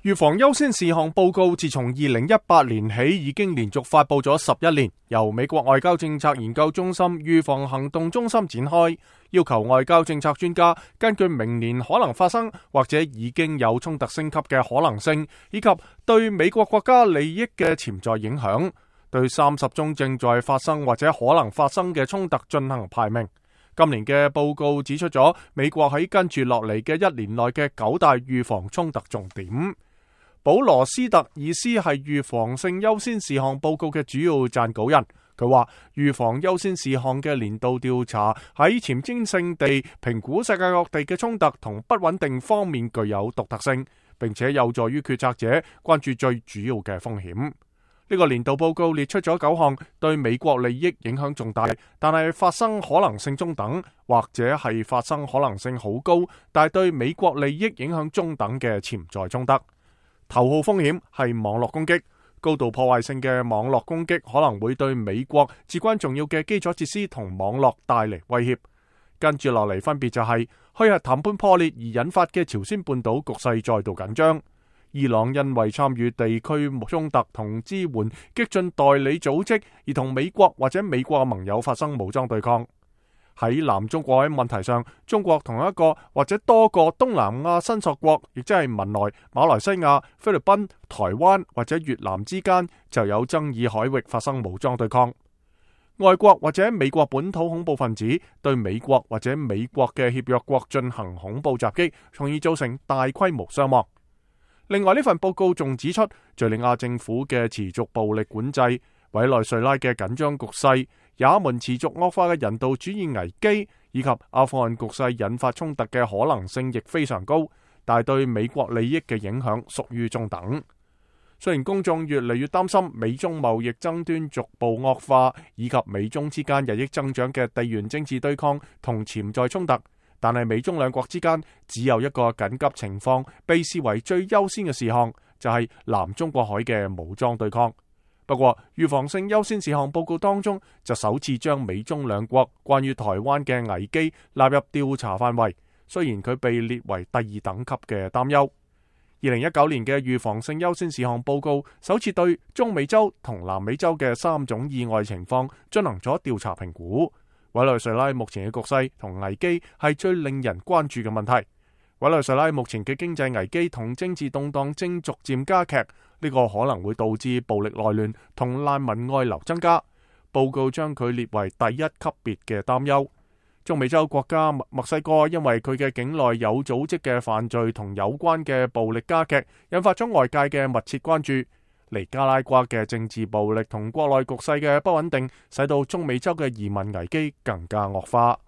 預防優先事項報告自從2018年起已經連續發佈咗11年，由美國外交政策研究中心預防行動中心展開，要求外交政策專家根據明年可能發生或者已經有衝突升級嘅可能性，以及對美國國家利益嘅潛在影響，對30宗正在發生或者可能發生嘅衝突進行排名。今年嘅報告指出咗美國喺跟住落嚟嘅一年內嘅9大預防衝突重點。保羅斯特爾斯係預防性優先事項報告嘅主要撰稿人，佢話預防優先事項嘅年度調查喺前瞻性地評估世界各地嘅衝突同不穩定方面具有獨特性，並且有助於決策者關注最主要嘅風險。呢個年度報告列出咗9項對美國利益影響重大，但係發生可能性中等，或者係發生可能性好高，但係對美國利益影響中等嘅潛在衝突。頭號風險係網絡攻擊，高度破壞性嘅網絡攻擊可能會對美國至關重要嘅基礎設施同網絡帶嚟威脅。跟住落嚟分別就係虛核談判破裂而引發嘅朝鮮半島局勢再度緊張，伊朗因為參與地區衝突同支援激進代理組織而同美國或者美國嘅盟友發生武裝對抗。喺南中國海問題上，中國同一個或者多個東南亞申索國，亦即係文萊、馬來西亞、菲律賓、台灣或者越南之間就有爭議海域發生武裝對抗。外國或者美國本土恐怖分子對美國或者美國嘅協約國進行恐怖襲擊，從而造成大規模傷亡。另外，呢份報告仲指出，敘利亞政府嘅持續暴力管制、委內瑞拉嘅緊張局勢、也門持續惡化嘅人道主義危機，以及阿富汗局勢引發衝突嘅可能性亦非常高，但係對美國利益嘅影響屬於中等。雖然公眾越嚟越擔心美中貿易爭端逐步惡化，以及美中之間日益增長嘅地緣政治對抗同潛在衝突，但係美中兩國之間只有一個緊急情況被視為最優先嘅事項，就係南中國海嘅武裝對抗。不過，預防性優先事項報告當中就首次將美中兩國關於台灣嘅危機納入調查範圍，雖然佢被列為第2等級嘅擔憂。2019年嘅預防性優先事項報告首次對中美洲同南美洲嘅3種意外情況進行咗調查評估。委內瑞拉目前嘅局勢同危機係最令人關注嘅問題。委內瑞拉目前嘅經濟危機同政治動盪正逐漸加劇，呢個可能會導致暴力內亂同難民外流增加。報告將佢列為第1級別嘅擔憂。中美洲國家墨西哥因為佢嘅境內有組織嘅犯罪同有關嘅暴力加劇，引發咗外界嘅密切關注。尼加拉瓜嘅政治暴力同國內局勢嘅不穩定，使到中美洲嘅移民危機更加惡化。